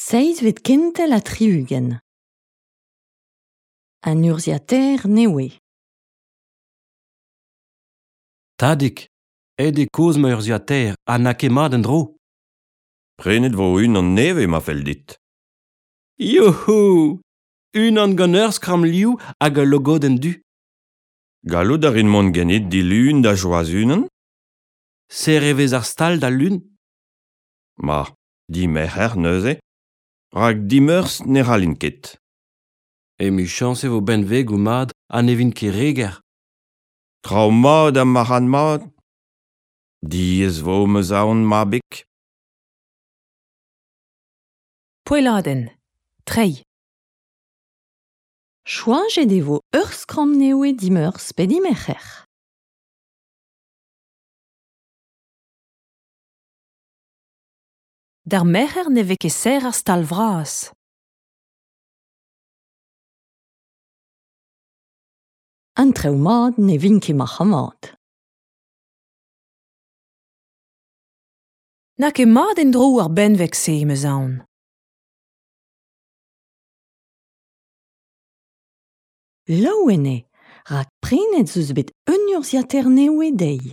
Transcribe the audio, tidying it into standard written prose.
Seiz vet kentel a triugen. An urziater newe. Tadik, ed e koz ma urziater, a na ket mat en dro. Prenet vo un an neve ma fel dit. Youhou! Un an gant ur skram liou hag a logo den du. Gallout a rin mont gennet di lun da joaz unan? Se revez ar stal da lun? Ma, di mecher neuze. Rak dimeurs ne ralin ket. E mu chans e vo benveg ou mad a ne vin ket reger. Trao mat am maran mat. Diez vo meus aon ma bek. Poeladen, trei. Choajet e vo ur skram newe dimeurs pe dimerc'her. D'ar merc'her ne vez ket ser ar stal vras. An treo mat ne vin ket macha mat. Na ket mat en dro ar benveg se meus aon. Laouene, rak prenet zeus bet un urziater newe dei.